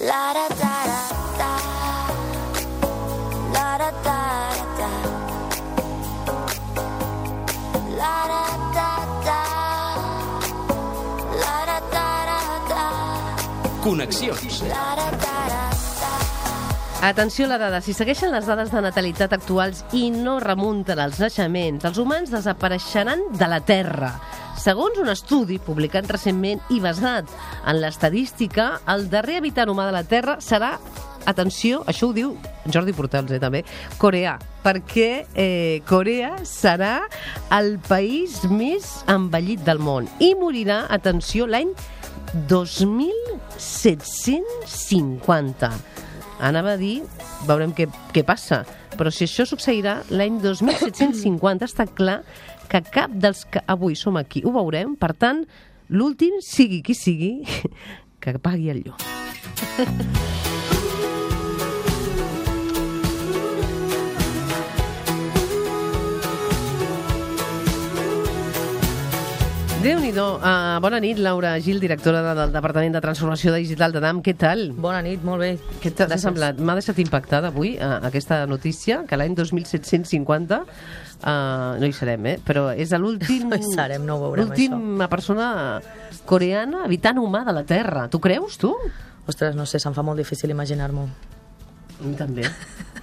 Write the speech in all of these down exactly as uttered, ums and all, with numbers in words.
La da da da la da da da la da da da la da da da. Connexions. La da da da. Atenció a la dada, si segueixen les dades de natalitat actuals i no remunten als naixements, els humans desapareixeran de la Terra. Segons un estudi publicat recentment i basat en l'estadística, el darrer habitant humà de la Terra serà, atenció, això ho diu Jordi Portals, eh, també, coreà, perquè eh, Corea serà el país més envellit del món i morirà, atenció, l'any dos mil set-cents cinquanta. Anava a dir, veurem què, què passa, però si això succeirà l'any dos mil set-cents cinquanta, està clar que cap dels que avui som aquí ho veurem, per tant, l'últim, sigui qui sigui, que pagui el llum. Déu-n'hi-do. Uh, bona nit, Laura Gil, directora de, del Departament de Transformació Digital de D A M. Què tal? Bona nit, molt bé. Què t'ha semblat? M'ha deixat impactada avui uh, aquesta notícia, que l'any dos mil set-cents cinquanta uh, no hi serem, eh? Però és l'últim... No hi serem, no ho veurem, l'última persona coreana habitant humà de la Terra. Tu creus, tu? Ostres, no sé, se'm fa molt difícil imaginar-m'ho. A mi també.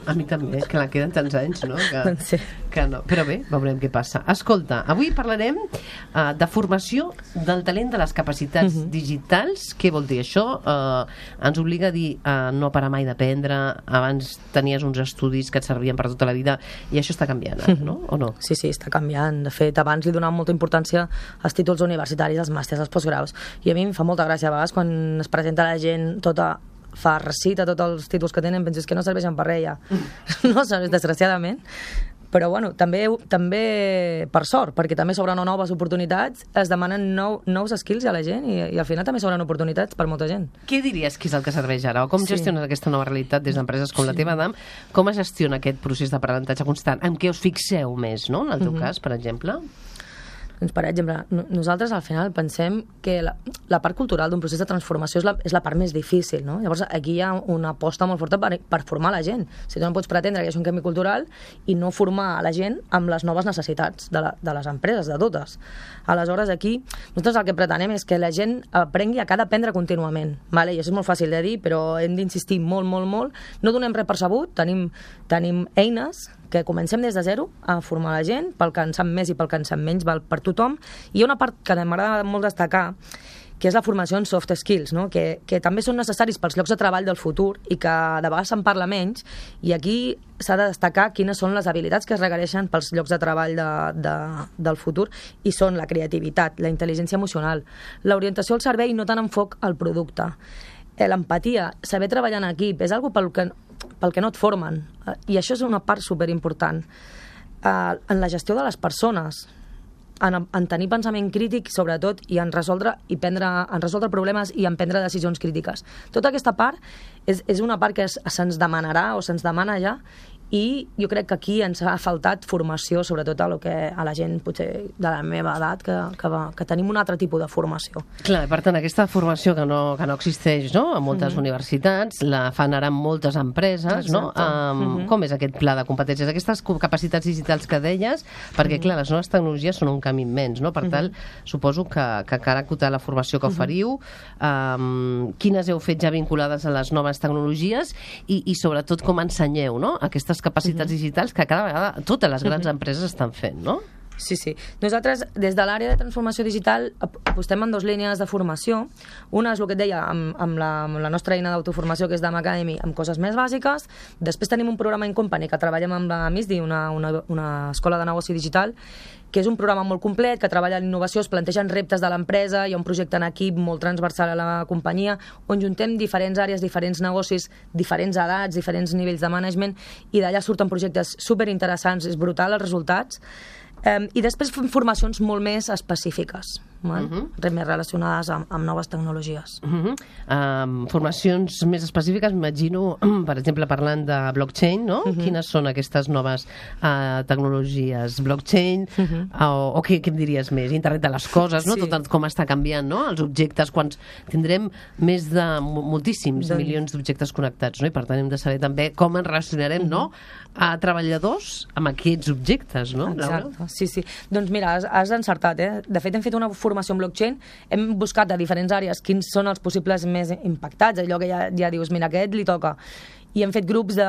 A mi també, que la queden tants anys, no? Que, sí. que no. Però bé, veurem què passa. Escolta, avui parlarem uh, de formació del talent de les capacitats uh-huh. digitals. Què vol dir això? Uh, ens obliga a dir uh, no parar mai d'aprendre. Abans tenies uns estudis que et servien per tota la vida i això està canviant, uh-huh. no? O no? Sí, sí, està canviant. De fet, abans li donàvem molta importància als títols universitaris, als màsters, als postgraus. I a mi em fa molta gràcia a vegades quan es presenta la gent tota farcita, tots els títols que tenen, penses que no serveixen per res ja. No serveix, desgraciadament. Però, bueno, també, també per sort, perquè també s'obren noves oportunitats, es demanen nou, nous skills a la gent i, i al final també s'obren oportunitats per molta gent. Què diries que és el que serveix ara? O com Sí. gestiones aquesta nova realitat des d'empreses com Sí. la teva, D A M? Com es gestiona aquest procés d'aprenentatge constant? En què us fixeu més, no? En el teu Mhm. cas, per exemple? Doncs, per exemple, no- nosaltres al final pensem que la, la part cultural d'un procés de transformació és la, és la part més difícil, no? Llavors aquí hi ha una aposta molt forta per, per formar la gent. Si tu no pots pretendre que hi hagi un canvi cultural i no formar la gent amb les noves necessitats de, la, de les empreses, de totes. Aleshores aquí, nosaltres el que pretenem és que la gent aprengui a cada aprendre contínuament, vale? I això és molt fàcil de dir, però hem d'insistir molt, molt, molt. No donem res per sabut, tenim, tenim eines que comencem des de zero a formar la gent, pel que en sap més i pel que en sap menys, val per tothom. I hi ha una part que m'agrada molt destacar, que és la formació en soft skills, no? que, que també són necessaris pels llocs de treball del futur i que de vegades se'n parla menys, i aquí s'ha de destacar quines són les habilitats que es requereixen pels llocs de treball de, de, del futur, i són la creativitat, la intel·ligència emocional, l'orientació al servei i no tant enfoc al producte, l'empatia, saber treballar en equip, és algo pel que pel que no et formen, i això és una part superimportant. Uh, en la gestió de les persones, en, en tenir pensament crític, sobretot, i en resoldre, i prendre, en resoldre problemes i en prendre decisions crítiques. Tota aquesta part és, és una part que es, se'ns demanarà o se'ns demana ja, i jo crec que aquí ens ha faltat formació, sobretot a, lo que, a la gent potser de la meva edat, que, que, va, que tenim un altre tipus de formació. Clar, per tant, aquesta formació que no, que no existeix, no?, a moltes Mhm. universitats, la fan ara en moltes empreses, no? Exacte. Um, Mhm. Com és aquest pla de competències? Aquestes co- capacitats digitals que deies, perquè, clar, les noves tecnologies són un camí immens, no? Per tant, suposo que, que cal acotar la formació que oferiu, um, quines heu fet ja vinculades a les noves tecnologies i, i sobretot, com ensenyeu, no?, aquestes capacitats digitals que cada vegada totes les grans empreses estan fent, no? Sí, sí. Nosaltres, des de l'àrea de transformació digital, ap- apostem en dues línies de formació. Una és el que et deia, amb, amb, la, amb la nostra eina d'autoformació, que és D A M Academy, amb coses més bàsiques. Després tenim un programa in company que treballem amb la MISDI, una, una, una escola de negoci digital, que és un programa molt complet, que treballa en innovació, es plantegen reptes de l'empresa, hi ha un projecte en equip molt transversal a la companyia, on juntem diferents àrees, diferents negocis, diferents edats, diferents nivells de management, i d'allà surten projectes superinteressants, és brutal els resultats. Um, I després fem formacions molt més específiques. val? Uh -huh. Res més relacionades amb, amb noves tecnologies. Uh -huh. um, formacions més específiques, m'imagino, per exemple, parlant de blockchain, no? Uh -huh. Quines són aquestes noves uh, tecnologies? Blockchain, uh -huh. o, o què, què em diries més? Internet de les coses, no? Sí. Tot el, com està canviant, no? Els objectes, quan tindrem més de moltíssims doncs... milions d'objectes connectats, no? I per tant hem de saber també com ens relacionarem, uh -huh. no? A treballadors amb aquests objectes, no? Exacte, Laura? sí, sí. Doncs mira, has, has encertat, eh? De fet, hem fet una formació en blockchain, hem buscat de diferents àrees quins són els possibles més impactats, allò que ja, ja dius, mira, a aquest li toca. I hem fet grups de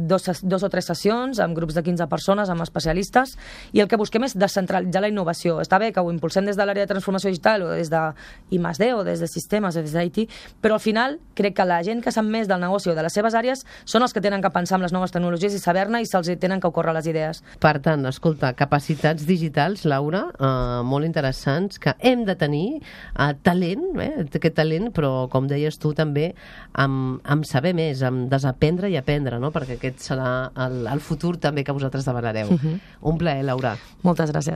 dos, dos o tres sessions, amb grups de quinze persones, amb especialistes, i el que busquem és descentralitzar la innovació. Està bé que ho impulsem des de l'àrea de transformació digital, o des de I més D, o des de sistemes, o des d'I T, però al final crec que la gent que sap més del negoci o de les seves àrees són els que tenen que pensar en les noves tecnologies i saber-ne i se'ls tenen que ocórrer les idees. Per tant, escolta, capacitats digitals, Laura, eh, molt interessants, que hem de tenir eh, talent, eh, aquest talent, però, com deies tu, també amb, amb saber més, amb desaprendre i aprendre, no? Perquè aquest serà el, el futur també que vosaltres demanareu. Uh-huh. Un plaer, Laura. Moltes gràcies.